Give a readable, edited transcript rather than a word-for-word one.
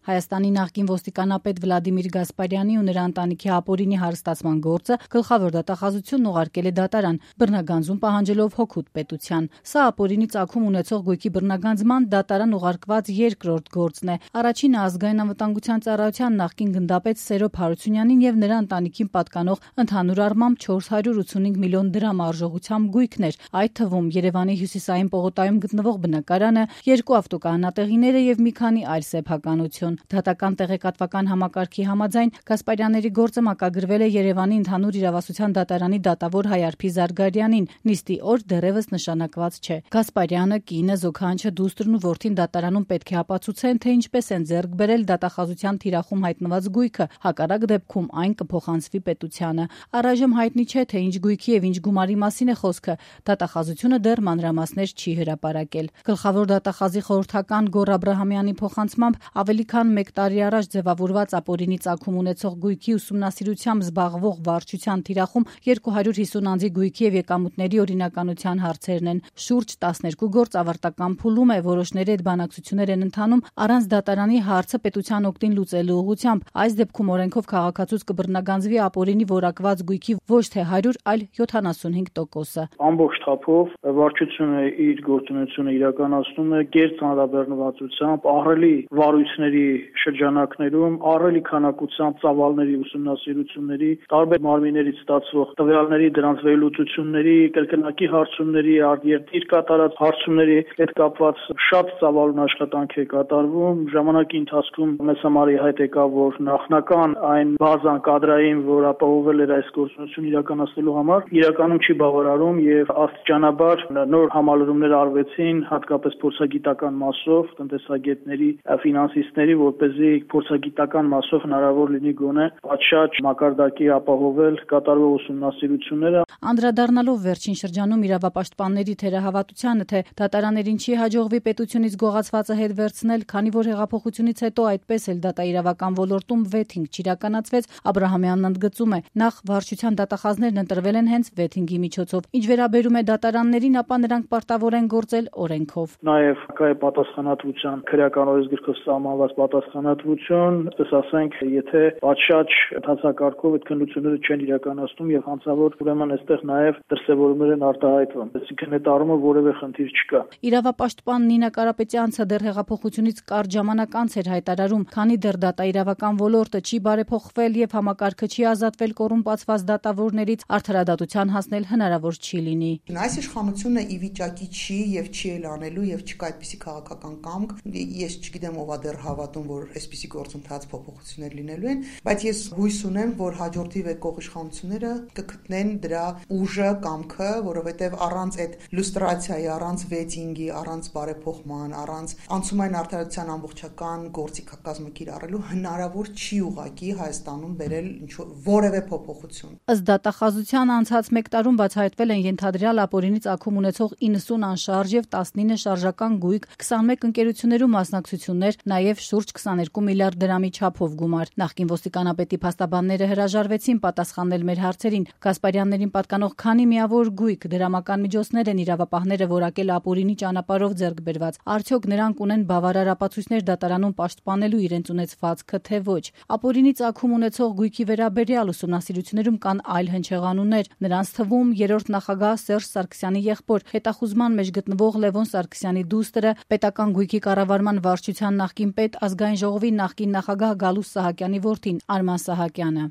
Հայաստանի նախկին ոստիկանապետ Վլադիմիր Գասպարյանի ու նրա ընտանիքի ապօրինի հարստացման գործը գլխավոր դատախազությունն ուղարկել է դատարան, բռնագանձում պահանջելով հօգուտ պետության։ Սա ապօրինի ծագում ունեցող գույքի բռնագանձման դատարան ուղարկված երկրորդ գործն է։ Առաջինը Ազգային անվտանգության ծառայության նախկին գնդապետ Սերոբ Հարությունյանին եւ նրա ընտանիքին պատկանող ընդհանուր առմամբ 485 միլիոն դրամ արժողությամբ գույքն էր, այդ թվում Երևանի հյուսիսային պողոտայում գտնվող բնակարանը, 2 ավտոկայանատեղիները եւ մի քանի այլ սեփականություն։ Դատական տեղեկատվական համակարգի համաձայն Գասպարյանների գործը մակագրվել է Երևանի ընդհանուր իրավասության դատարանի դատավոր Հայարփի Զարգարյանին, նիստի օր դեռևս նշանակված չէ։ Գասպարյանը, կինը, զոքանչը, դուստրն ու որդին դատարանում պետք է ապացուցեն, թե ինչպես են ձեռք բերել դատախազության թիրախում հայտնված գույքը, հակառակ դեպքում այն կփոխանցվի պետությանը։ Առայժմ հայտնի չէ, թե ինչ գույքի եւ ինչ գումարի մասին է խոսքը։ Դատախազությունը դեռ մանրամասներ չի հրապարակել։ Գլխավոր դատախազի խորհրդական Գոռ Աբրահամյանի փոխանցմամբ ավելի քան 1 տարի առաջ ձևավորված ապօրինի ծագում ունեցող գույքի ուսումնասիրությամբ զբաղվող վարչության թիրախում 250 անձի գույքի եւ եկամուտների օրինականության հարցերն են։ Շուրջ 12 գործ ավարտական փուլում է, որոշների հետ բանակցություններ են ընթանում առանց դատարանի հարցը պետության օգտին լուծելու ուղղությամբ։ Այս դեպքում օրենքով քաղաքացուց կբռնագանձվի ապօրինի որակված գույքի ոչ թե 100, այլ 75%-ը։ Ամբողջ թափով վարչությունը իր գործունեությունը իրականացնում է կերտ հանրաբեռնվածությամբ, ահռելի վարույթների շրջանակներում, ահռելի քանակությամբ ծավալների ուսումնասիրությունների, տարբեր մարմիններից ստացվող տվյալների, դրանց վերլուծությունների, կրկնակի հարցումների, արտերկիր կատարած հարցումների հետ կապված շատ ծավալուն աշխատանք է կատարվում։ Ժամանակի ընթացքում մեզ համար հայտ եկավ, որ նախնական այն բազան կադրային, որ ապահովել էր այս գործունեությունը իրականացնելու համար, իրականում չի բավարարում եւ աստիճանաբար նոր համալրումներ արվեցին, հատկապես փորձագիտական մասով, տնտեսագետների, ֆինանսիստների, որպեսզի փորձագիտական մասով հնարավոր լինի գոնե պատշաճ մակարդակի ապահովել կատարվող ուսումնասիրությունները։ Անդրադառնալով վերջին շրջանում իրավապաշտպանների թերահավատությանը, թե դատարաններին չի հաջողվի պետությունից գողացվածը հետ վերցնել, քանի որ հեղափոխությունից հետո այդպես էլ դատաիրավական ոլորտում վեթինգ չիրականացվեց, Աբրահամյանն ընդգծում է. նախ վարչության դատախազներն ընտրվել են հենց վեթինգի միջոցով։ Ինչ վերաբերում է դատարաններին, ապա նրանք պարտավոր են գործել օրենքով։ Նաև կա է պատասխանատվության քրեական օրենսգրքով սահմանված պատասխանատվություն, ասես ասենք, եթե պատշաճ ընթացակարգով այդ քննությունները չեն իրականացնում եւ հանցավոր, ուրեմն այստեղ նաև դրսևորումներ են արտահայտվում։ Այսինքն այդ առումով որևէ խնդիր չկա։ Իրավապաշտպան Նինա Կարապետյանցը դեռ հեղափոխությունից կարճ ժամանակ անց էր հայտարարում, քանի դեռ դատաիրավական ոլորտը չի բարեփոխվել եւ համակարգը չի ազատվել կոռումպացված դատավորներից, արդարադատության հասնել հնարավոր չի լինի։ Այս իշխանությունը ի վիճակի չի եւ չի էլ անելու եւ չկա այդպիսի քաղաքական կամք։ Ես չգիտեմ ով է դեռ հավատում, որ այսպիսի գործընթաց փոփոխություններ լինելու են, բայց ես հույս ունեմ, որ հաջորդիվ եկող իշխանությունները կգտնեն դրա ուժը, կամքը, որովհետեւ առանց այդ լուստրացիայի, առանց վեթինգի, առանց բարեփոխման, առանց անցումային արդարության ամբողջական գործիքակազմը կիրառելու հնարավոր չի ուղղակի Հայաստանում բերել որևէ փոփոխություն։ Ըստ դատախազության անցած 1 տարում բացահայտվել են ենթադրյալ ապօրինի ծագում ունեցող 90 անշարժ եւ 19 շարժական գույք, 21 ընկերություններում մասնակցություններ, նաեւ շուրջ 22 միլիարդ դրամի չափով գումար։ Նախկին ոստիկանապետի փաստաբանները հրաժարվեցին պատասխանել մեր հարցերին։ Գասպարյաններին պատկանող քանի միավոր գույք, դրամական միջոցներ են իրավապահները որակել ապօրինի ճանապարհով ձեռք բերված։ Արդյոք նրանք ունեն բավարար ապացույցներ դատարանում պաշտպանելու իրենց ունեցվածքը, թե ոչ։ Ապօրինի ծագում ունեցող գույքի վերաբերյալ ուսումնասիրություններում կան այլ հնչեղանուններ։ Նրանց թվում 3-րդ նախագահ Սերժ Սարգսյանի եղբոր, հետախուզման մեջ գտնվող Լևոն Սարգսյանի դուստրը, պետական գույքի կառավարման վարչության նախկին պետ, ազգային ժողովի նախկին նախագահ Գալուստ Սահակյանի որդին Արման Սահակյանը։